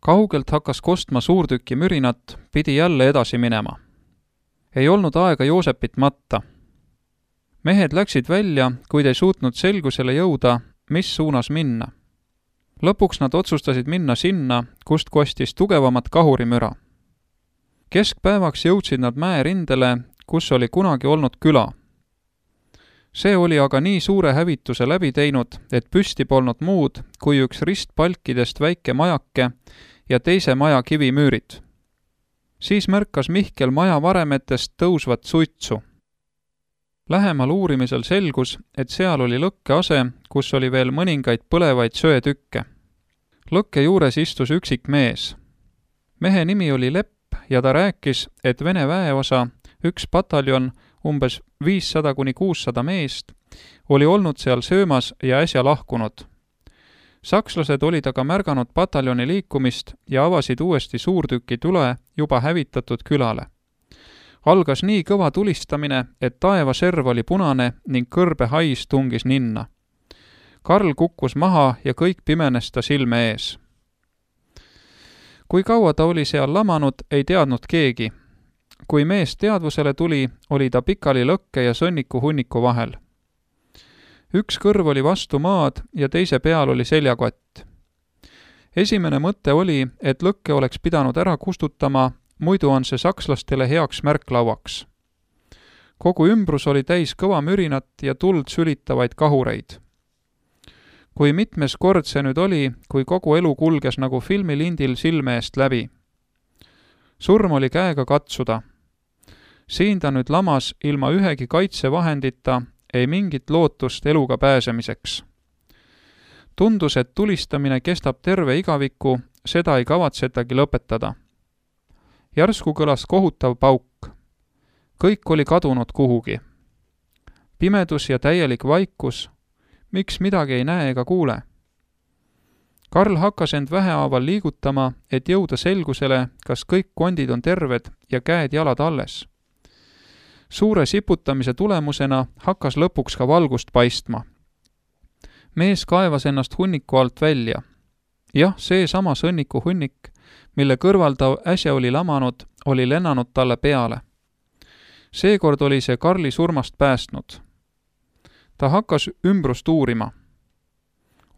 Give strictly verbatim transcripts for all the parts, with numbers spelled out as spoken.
Kaugelt hakkas kostma suurtüki mürinat, pidi jälle edasi minema. Ei olnud aega Joosepit matta. Mehed läksid välja, kuid ei suutnud selgusele jõuda, mis suunas minna. Lõpuks nad otsustasid minna sinna, kust kostis tugevamat kahurimüra. Keskpäevaks jõudsid nad mäerindele, kus oli kunagi olnud küla. See oli aga nii suure hävituse läbi teinud, et püsti polnud muud kui üks ristpalkidest väike majake ja teise maja kivimüürid. Siis märkas Mihkel maja varemetest tõusvat suitsu. Lähemal uurimisel selgus, et seal oli lõkkease, kus oli veel mõningaid põlevaid söetükke. Lõkke juures istus üksik mees. Mehe nimi oli Lepp ja ta rääkis, et Vene väeosa, üks pataljon, umbes viissada kuni kuussada meest, oli olnud seal söömas ja äsja lahkunud. Sakslased olid aga märganud pataljoni liikumist ja avasid uuesti suurtüki tule juba hävitatud külale. Algas nii kõva tulistamine, et taevaserv oli punane ning kõrbe hais tungis ninna. Karl kukkus maha ja kõik pimenes ta silme ees. Kui kaua ta oli seal lamanud, ei teadnud keegi. Kui mees teadvusele tuli, oli ta pikali lõkke ja sõnniku hunniku vahel. Üks kõrv oli vastu maad ja teise peal oli seljakott. Esimene mõte oli, et lõkke oleks pidanud ära kustutama, muidu on see sakslastele heaks märklauaks. Kogu ümbrus oli täis kõva mürinat ja tuld sülitavaid kahureid. Kui mitmes kord see nüüd oli, kui kogu elu kulges nagu filmilindil silme eest läbi. Surm oli käega katsuda. Siin ta nüüd lamas ilma ühegi kaitsevahendita, ei mingit lootust eluga pääsemiseks. Tundus, et tulistamine kestab terve igaviku, seda ei kavatsetagi lõpetada. Järsku kõlas kohutav pauk. Kõik oli kadunud kuhugi. Pimedus ja täielik vaikus, miks midagi ei näe ega kuule. Karl hakkas end vähehaaval liigutama, et jõuda selgusele, kas kõik kondid on terved ja käed-jalad alles. Suure siputamise tulemusena hakkas lõpuks ka valgust paistma. Mees kaevas ennast hunniku alt välja. Jah, see sama sõnniku hunnik, mille kõrval ta äsja oli lamanud, oli lennanud talle peale. Seekord oli see Karli surmast päästnud. Ta hakkas ümbrust uurima.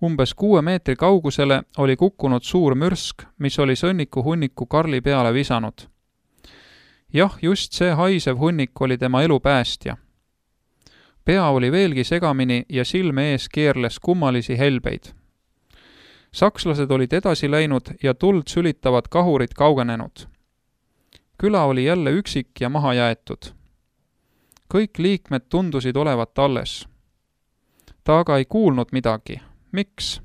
Umbes kuue meetri kaugusele oli kukkunud suur mürsk, mis oli sõnniku hunniku Karli peale visanud. Jah, just see haisev hunnik oli tema elu päästja. Pea oli veelgi segamini ja silme ees keerles kummalisi helbeid. Sakslased olid edasi läinud ja tuld sülitavad kahurid kaugenenud. Küla oli jälle üksik ja maha jäetud. Kõik liikmed tundusid olevat alles. Ta aga ei kuulnud midagi. Miks?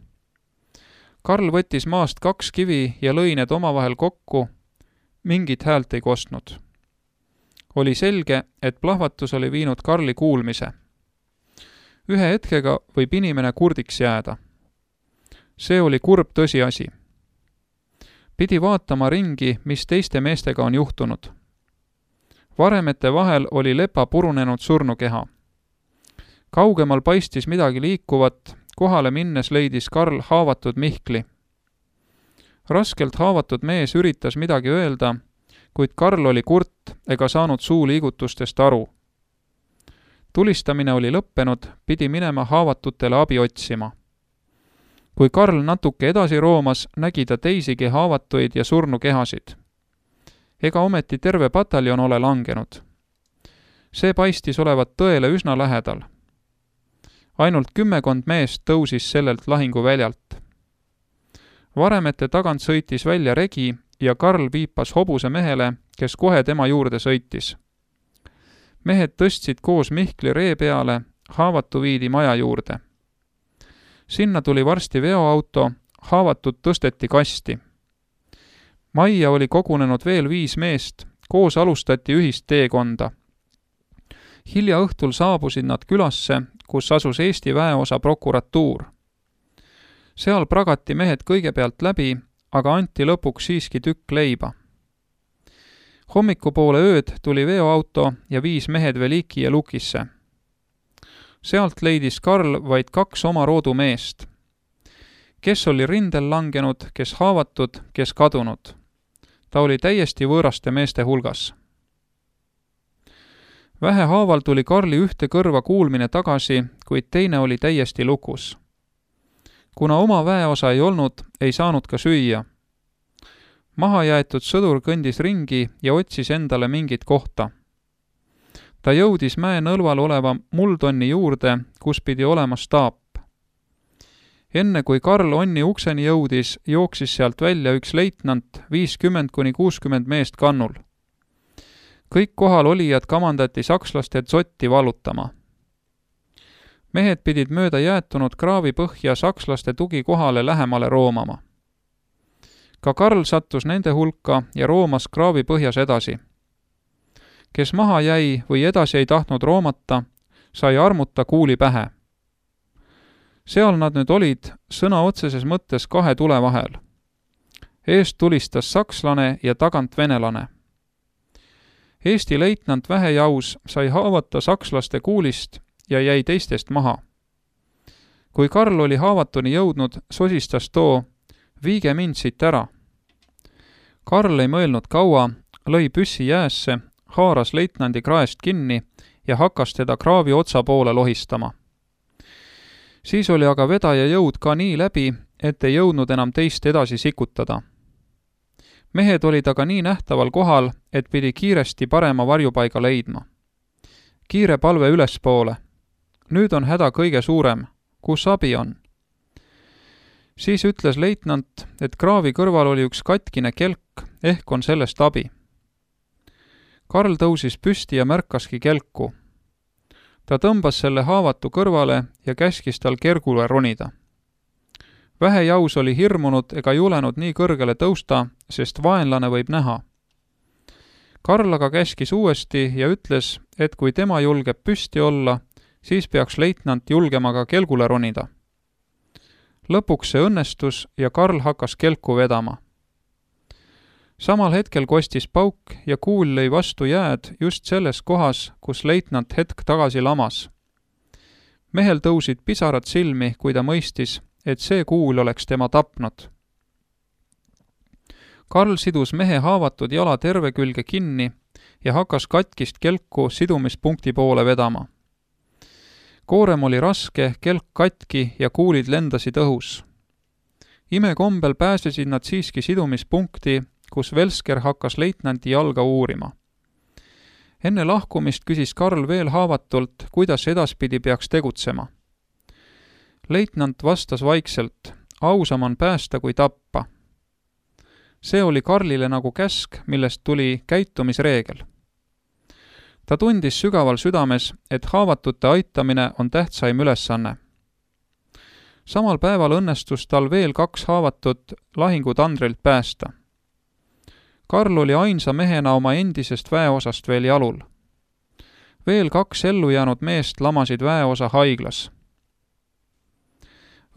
Karl võttis maast kaks kivi ja lõi need omavahel kokku. Mingit häält ei kostnud. Oli selge, et plahvatus oli viinud Karli kuulmise. Ühe hetkega võib inimene kurdiks jääda. See oli kurb tõsiasi. Pidi vaatama ringi, mis teiste meestega on juhtunud. Varemete vahel oli lepa purunenud surnukeha. Kaugemal paistis midagi liikuvat, kohale minnes leidis Karl haavatud Mihkli. Raskelt haavatud mees üritas midagi öelda, kuid Karl oli kurt ega saanud suu liigutustest aru. Tulistamine oli lõppenud, pidi minema haavatutele abi otsima. Kui Karl natuke edasi roomas, nägi ta teisigi haavatuid ja surnukehasid. Ega ometi terve pataljon ole langenud. See paistis olevat tõele üsna lähedal. Ainult kümmekond meest tõusis sellelt lahinguväljalt. Varemete tagant sõitis välja regi ja Karl viipas hobuse mehele, kes kohe tema juurde sõitis. Mehed tõstsid koos Mihkli ree peale, haavatu viidi maja juurde. Sinna tuli varsti veoauto, haavatud tõsteti kasti. Majja oli kogunenud veel viis meest, koos alustati ühist teekonda. Hilja õhtul saabusid nad külasse, kus asus Eesti väeosa prokuratuur. Seal pragati mehed kõigepealt läbi, aga anti lõpuks siiski tükk leiba. Hommikupoole ööd tuli veoauto ja viis mehed Veliki ja Lukisse. Sealt leidis Karl vaid kaks oma roodu meest. kes oli rindel langenud, kes haavatud, kes kadunud. Ta oli täiesti võõraste meeste hulgas. Vähehaaval tuli Karli ühte kõrva kuulmine tagasi, kuid teine oli täiesti lukus. Kuna oma väeosa ei olnud, ei saanud ka süüa. Mahajäetud sõdur kõndis ringi ja otsis endale mingit kohta. Ta jõudis mäe nõlval oleva muldonni juurde, kus pidi olema staap. Enne kui Karl onni ukseni jõudis, jooksis sealt välja üks leitnant, viiskümmend kuni kuuskümmend meest kannul. Kõik kohal olijad kamandati sakslaste dzotti vallutama. Mehed pidid mööda jäätunud kraavi põhja sakslaste tugikohale lähemale roomama. Ka Karl sattus nende hulka ja roomas kraavi põhjas edasi. Kes maha jäi või edasi ei tahtnud roomata, sai armuta kuuli pähe. Seal nad nüüd olid sõna otseses mõttes kahe tule vahel. Eest tulistas sakslane ja tagant venelane. Eesti leitnant Vähejaus sai haavata sakslaste kuulist ja jäi teistest maha. Kui Karl oli haavatuni jõudnud, sosistas too, viige mind siit ära. Karl ei mõelnud kaua, lõi püssi jäässe, haaras leitnandi kraest kinni ja hakkas teda kraavi otsa poole lohistama. Siis oli aga vedaja jõud ka nii läbi, et ei jõudnud enam teist edasi sikutada. Mehed olid aga nii nähtaval kohal, et pidi kiiresti parema varjupaiga leidma. Kiire palve ülespoole. Nüüd on häda kõige suurem. Kus abi on? Siis ütles leitnant, et kraavi kõrval oli üks katkine kelk, ehk on sellest abi. Karl tõusis püsti ja märkaski kelku. Ta tõmbas selle haavatu kõrvale ja käskis tal kergule ronida. Vähejaus oli hirmunud ega julenud nii kõrgele tõusta, sest vaenlane võib näha. Karl aga käskis uuesti ja ütles, et kui tema julgeb püsti olla, siis peaks leitnant julgema ka kelgule ronida. Lõpuks see õnnestus ja Karl hakkas kelku vedama. Samal hetkel kostis pauk ja kuul lõi vastu jääd just selles kohas, kus leitnant hetk tagasi lamas. Mehel tõusid pisarad silmi, kui ta mõistis, et see kuul oleks tema tapnud. Karl sidus mehe haavatud jala terve külge kinni ja hakkas katkist kelku sidumispunkti poole vedama. Koorem oli raske, kelk katki ja kuulid lendasid õhus. Imekombel pääsesid nad siiski sidumispunkti, kus Velsker hakkas leitnanti jalga uurima. Enne lahkumist küsis Karl veel haavatult, kuidas edaspidi peaks tegutsema. Leitnant vastas vaikselt, ausam on päästa kui tappa. See oli Karlile nagu käsk, millest tuli käitumisreegel. Ta tundis sügaval südames, et haavatute aitamine on tähtsaim ülesanne. Samal päeval õnnestus tal veel kaks haavatut lahingutandrilt päästa. Karl oli ainsa mehena oma endisest väeosast veel jalul. Veel kaks ellu jäänud meest lamasid väeosa haiglas.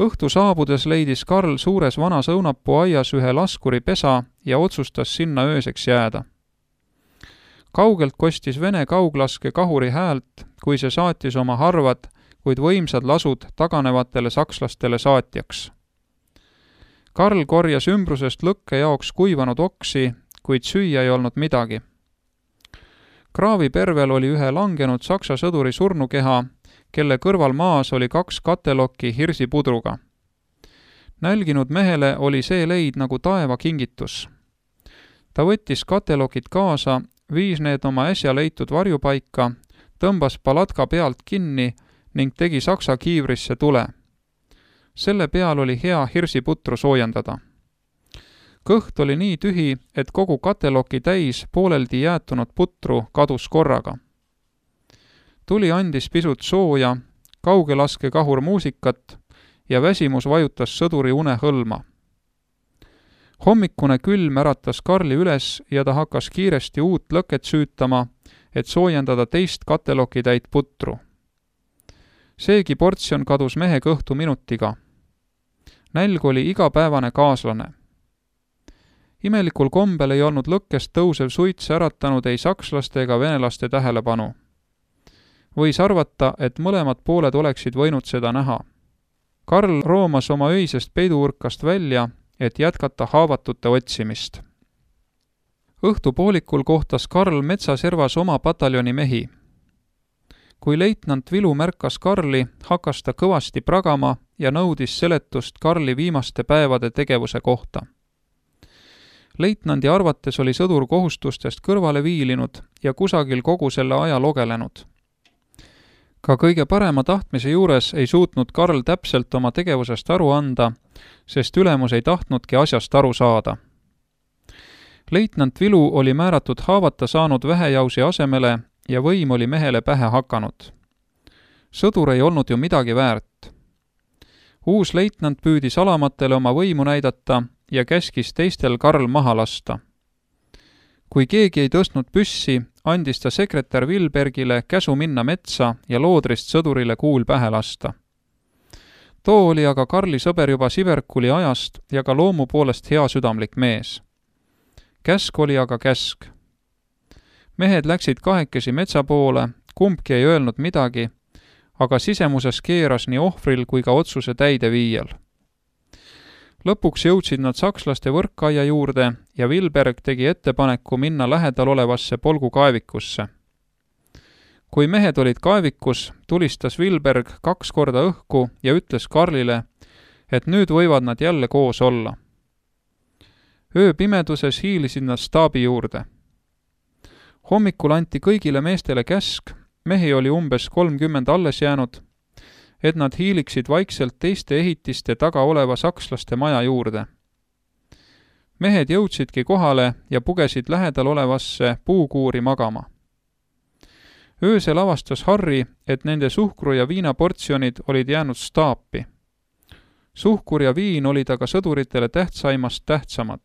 Õhtu saabudes leidis Karl suures vanas õunapuu aias ühe laskuri pesa ja otsustas sinna ööseks jääda. Kaugelt kostis Vene kauglaske kahuri häält, kui see saatis oma harvad, kuid võimsad lasud taganevatele sakslastele saatjaks. Karl korjas ümbrusest lõkke jaoks kuivanud oksi, kuid süüa ei olnud midagi. Kraavi pervel oli ühe langenud saksa sõduri surnukeha, kelle kõrval maas oli kaks katelokki hirsipudruga. Nälginud mehele oli see leid nagu taeva kingitus. Ta võttis katelokid kaasa, viis need oma äsja leitud varjupaika, tõmbas palatka pealt kinni ning tegi saksa kiivrisse tule. Selle peal oli hea hirsiputru soojendada. Kõht oli nii tühi, et kogu kateloki täis pooleldi jäätunud putru kadus korraga. Tuli andis pisut sooja, kaugelaske kahur muusikat ja väsimus vajutas sõduri une hõlma. Hommikune külm äratas Karli üles ja ta hakkas kiiresti uut lõket süütama, et soojendada teist kateloki täit putru. Seegi portsjon kadus mehe kõhtu minutiga. Nälg oli igapäevane kaaslane. Imelikul kombel ei olnud lõkkest tõusev suits äratanud ei sakslaste ega venelaste tähelepanu. Võis arvata, et mõlemad pooled oleksid võinud seda näha. Karl roomas oma öisest peiduurkast välja, et jätkata haavatute otsimist. Õhtupoolikul kohtas Karl metsaservas oma pataljoni mehi. Kui leitnant Vilu märkas Karli, hakkas ta kõvasti pragama ja nõudis seletust Karli viimaste päevade tegevuse kohta. Leitnandi arvates oli sõdur kohustustest kõrvale viilinud ja kusagil kogu selle aja logelenud. Ka kõige parema tahtmise juures ei suutnud Karl täpselt oma tegevusest aru anda, sest ülemus ei tahtnudki asjast aru saada. Leitnant Vilu oli määratud haavata saanud vähejausi asemele ja võim oli mehele pähe hakanud. Sõdur ei olnud ju midagi väärt. Uus leitnant püüdis alamatele oma võimu näidata ja käskis teistel Karl maha lasta. Kui keegi ei tõstnud püssi, andis ta sekretär Vilbergile käsu minna metsa ja loodrist sõdurile kuul pähe lasta. Too oli aga Karli sõber juba Siverkuli ajast ja ka loomu poolest hea südamlik mees. Käsk oli aga käsk. Mehed läksid kahekesi metsa poole, kumbki ei öelnud midagi, aga sisemuses keeras nii ohvril kui ka otsuse täideviijal. Lõpuks jõudsid nad sakslaste võrkaia juurde ja Vilberg tegi ettepaneku minna lähedal olevasse polgukaevikusse. Kui mehed olid kaevikus, tulistas Vilberg kaks korda õhku ja ütles Karlile, et nüüd võivad nad jälle koos olla. Ööpimeduses hiilisid nad staabi juurde. Hommikul anti kõigile meestele käsk, mehi oli umbes kolmkümmend alles jäänud, et nad hiiliksid vaikselt teiste ehitiste taga oleva sakslaste maja juurde. Mehed jõudsidki kohale ja pugesid lähedal olevasse puukuuri magama. Öösel avastas Harri, et nende suhkru- ja viinaportsjonid olid jäänud staapi. Suhkur ja viin olid aga sõduritele tähtsaimast tähtsamad.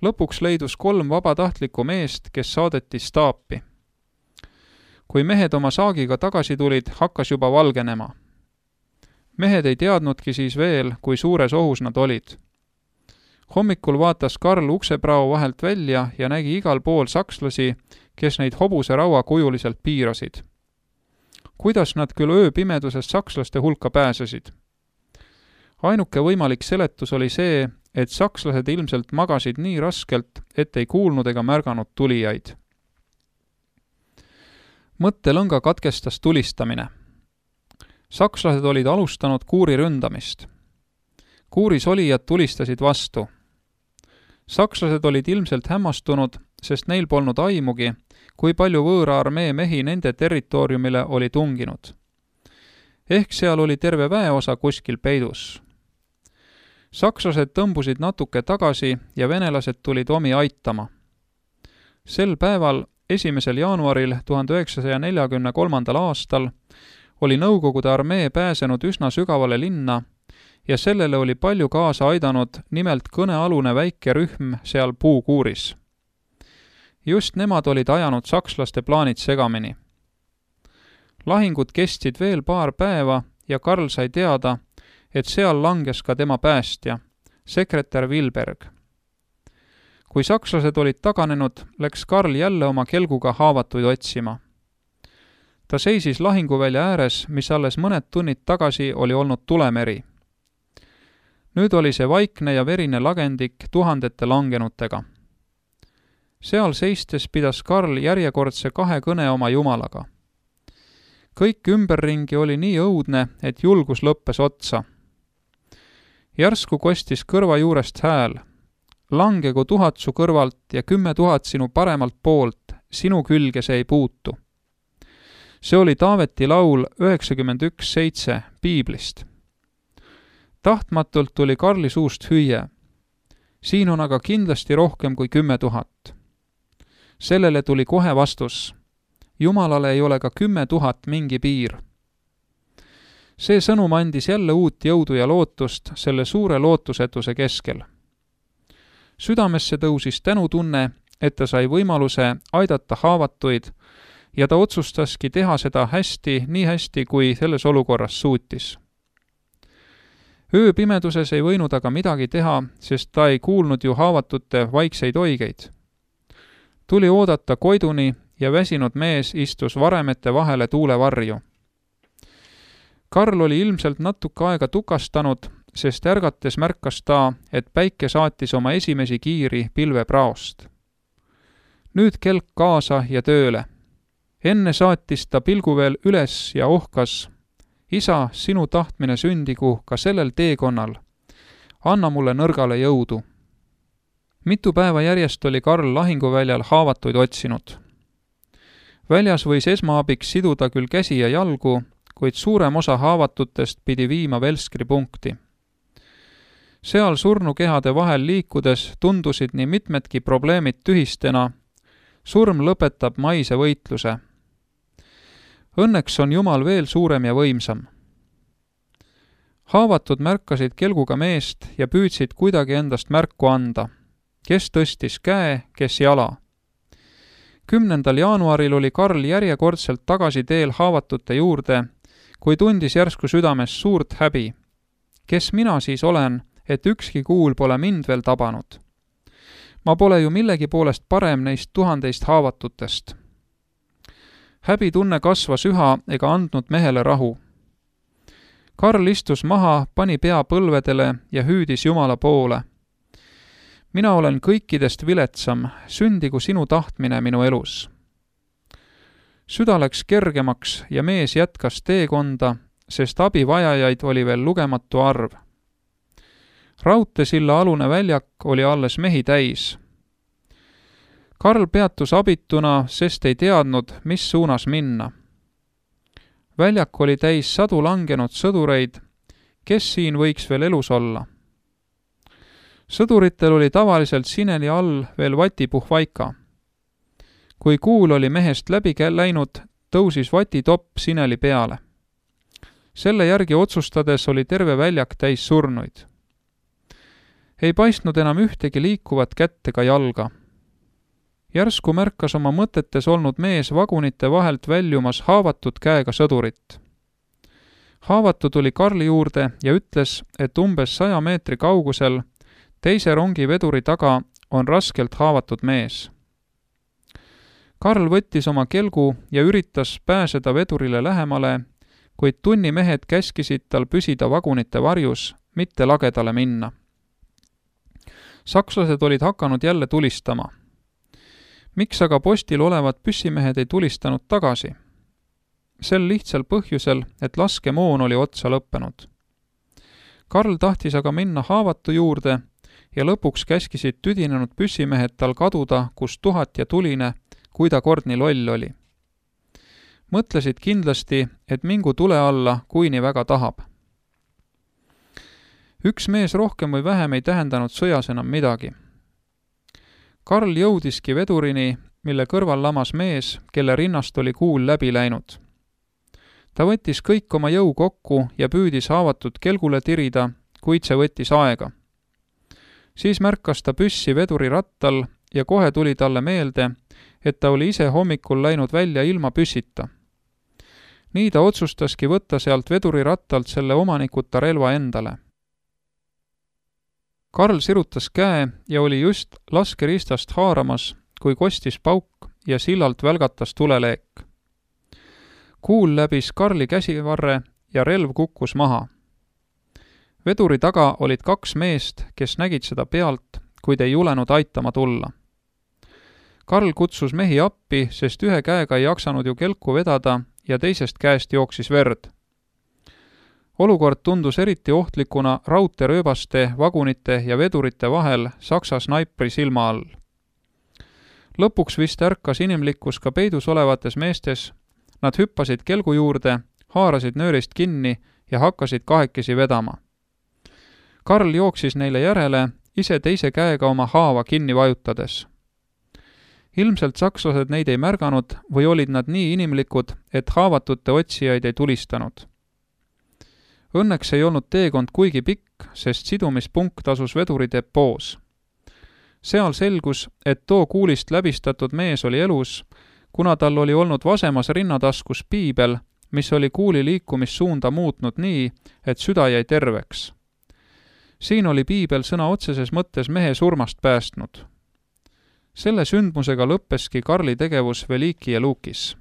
Lõpuks leidus kolm vabatahtlikku meest, kes saadeti staapi. Kui mehed oma saagiga tagasi tulid, hakkas juba valgenema. Mehed ei teadnudki siis veel, kui suures ohus nad olid. Hommikul vaatas Karl ukseprao vahelt välja ja nägi igal pool sakslasi, kes neid hobuse raua kujuliselt piirasid. Kuidas nad küll ööpimedusest sakslaste hulka pääsesid? Ainuke võimalik seletus oli see, et sakslased ilmselt magasid nii raskelt, et ei kuulnud ega märganud tulijaid. Mõttelõnga katkestas tulistamine. Sakslased olid alustanud kuuri ründamist. Kuuris olijad tulistasid vastu. Sakslased olid ilmselt hämmastunud, sest neil polnud aimugi, kui palju võõra armee mehi nende territooriumile oli tunginud. Ehk seal oli terve väeosa kuskil peidus. Sakslased tõmbusid natuke tagasi ja venelased tulid omi aitama. Sel päeval, esimesel jaanuaril tuhande üheksasaja neljakümne kolmandal aastal oli Nõukogude armee pääsenud üsna sügavale linna ja sellele oli palju kaasa aidanud nimelt kõnealune väike rühm seal puukuuris. Just nemad olid ajanud sakslaste plaanid segamini. Lahingud kestsid veel paar päeva ja Karl sai teada, et seal langes ka tema päästja, sekretär Vilberg. Kui sakslased olid taganenud, läks Karl jälle oma kelguga haavatuid otsima. Ta seisis lahinguvälja ääres, mis alles mõned tunnid tagasi oli olnud tulemeri. Nüüd oli see vaikne ja verine lagendik tuhandete langenutega. Seal seistes pidas Karl järjekordse kahe kõne oma jumalaga. Kõik ümberringi oli nii õudne, et julgus lõppes otsa. Järsku kostis kõrva juurest hääl. Langegu tuhat su kõrvalt ja kümme tuhat sinu paremalt poolt, sinu külge see ei puutu. See oli Taaveti laul üheksakümmend üks seitse piiblist. Tahtmatult tuli Karli suust hüüe. Siin on aga kindlasti rohkem kui kümme tuhat. Sellele tuli kohe vastus. Jumalale ei ole ka kümme tuhat mingi piir. See sõnum andis jälle uut jõudu ja lootust selle suure lootusetuse keskel. Südamesse tõusis tänutunne, et ta sai võimaluse aidata haavatuid ja ta otsustaski teha seda hästi, nii hästi, kui selles olukorras suutis. Ööpimeduses ei võinud aga midagi teha, sest ta ei kuulnud ju haavatute vaikseid oigeid. Tuli oodata Koiduni ja väsinud mees istus varemete vahele tuulevarju. Karl oli ilmselt natuke aega tukastanud, sest ärgates märkas ta, et päike saatis oma esimesi kiiri pilvepraost. Nüüd kelk kaasa ja tööle. Enne saatis ta pilgu veel üles ja ohkas: isa, sinu tahtmine sündigu ka sellel teekonnal. Anna mulle nõrgale jõudu. Mitu päeva järjest oli Karl lahinguväljal haavatuid otsinud. Väljas võis esmaabiks siduda küll käsi ja jalgu, kuid suurem osa haavatutest pidi viima Velskri punkti. Seal surnukehade vahel liikudes tundusid nii mitmedki probleemid tühistena. Surm lõpetab maise võitluse. Õnneks on Jumal veel suurem ja võimsam. Haavatud märkasid kelguga meest ja püüdsid kuidagi endast märku anda. Kes tõstis käe, kes jala. Kümnendal jaanuaril oli Karl järjekordselt tagasi teel haavatute juurde, kui tundis järsku südames suurt häbi. Kes mina siis olen, et ükski kuul pole mind veel tabanud? Ma pole ju millegi poolest parem neist tuhandeist haavatutest. Häbitunne kasvas üha ega andnud mehele rahu. Karl istus maha, pani pea põlvedele ja hüüdis Jumala poole. Mina olen kõikidest viletsam, sündigu sinu tahtmine minu elus. Süda läks kergemaks ja mees jätkas teekonda, sest abivajajaid oli veel lugematu arv. Raudteesilla alune väljak oli alles mehi täis. Karl peatus abituna, sest ei teadnud, mis suunas minna. Väljak oli täis sadu langenud sõdureid, kes siin võiks veel elus olla. Sõduritel oli tavaliselt sineli all veel vatipuhvaika. Kui kuul oli mehest läbi läinud, tõusis vatitopp sineli peale. Selle järgi otsustades oli terve väljak täis surnuid. Ei paistnud enam ühtegi liikuvat kätt ega jalga. Järsku märkas oma mõtetes olnud mees vagunite vahelt väljumas haavatud käega sõdurit. Haavatu tuli Karli juurde ja ütles, et umbes saja meetri kaugusel teise rongi veduri taga on raskelt haavatud mees. Karl võttis oma kelgu ja üritas pääseda vedurile lähemale, kuid tunnimehed käskisid tal püsida vagunite varjus, mitte lagedale minna. Sakslased olid hakanud jälle tulistama. Miks aga postil olevad püssimehed ei tulistanud tagasi? Sel lihtsal põhjusel, et laskemoon oli otsa lõppenud. Karl tahtis aga minna haavatu juurde ja lõpuks käskisid tüdinenud püssimehed tal kaduda, kus tuhat ja tuline, kui ta kord nii loll oli. Mõtlesid kindlasti, et mingu tule alla, kui nii väga tahab. Üks mees rohkem või vähem ei tähendanud sõjas enam midagi. Karl jõudiski vedurini, mille kõrval lamas mees, kelle rinnast oli kuul läbi läinud. Ta võttis kõik oma jõu kokku ja püüdis haavatud kelgule tirida, kuid see võttis aega. Siis märkas ta püssi veduri rattal ja kohe tuli talle meelde, et ta oli ise hommikul läinud välja ilma püssita. Nii ta otsustaski võtta sealt veduri rattalt selle omanikuta relva endale. Karl sirutas käe ja oli just laskeristast haaramas, kui kostis pauk ja sillalt välgatas tuleleek. Kuul läbis Karli käsivarre ja relv kukkus maha. Veduri taga olid kaks meest, kes nägid seda pealt, kuid ei julenud aitama tulla. Karl kutsus mehi appi, sest ühe käega ei jaksanud ju kelku vedada ja teisest käest jooksis verd. Olukord tundus eriti ohtlikuna raudteerööbaste, vagunite ja vedurite vahel Saksa snaipri silma all. Lõpuks vist ärkas inimlikkus ka peidus olevates meestes. Nad hüppasid kelgu juurde, haarasid nöörist kinni ja hakkasid kahekesi vedama. Karl jooksis neile järele, ise teise käega oma haava kinni vajutades. Ilmselt sakslased neid ei märganud või olid nad nii inimlikud, et haavatute otsijaid ei tulistanud. Õnneks ei olnud teekond kuigi pikk, sest sidumispunkt asus veduri depoos. Seal selgus, et too kuulist läbistatud mees oli elus, kuna tal oli olnud vasemas rinnataskus piibel, mis oli kuuli liikumissuunda muutnud nii, et süda jäi terveks. Siin oli piibel sõna otseses mõttes mehe surmast päästnud. Selle sündmusega lõppeski Karli tegevus Veliki ja Lukis.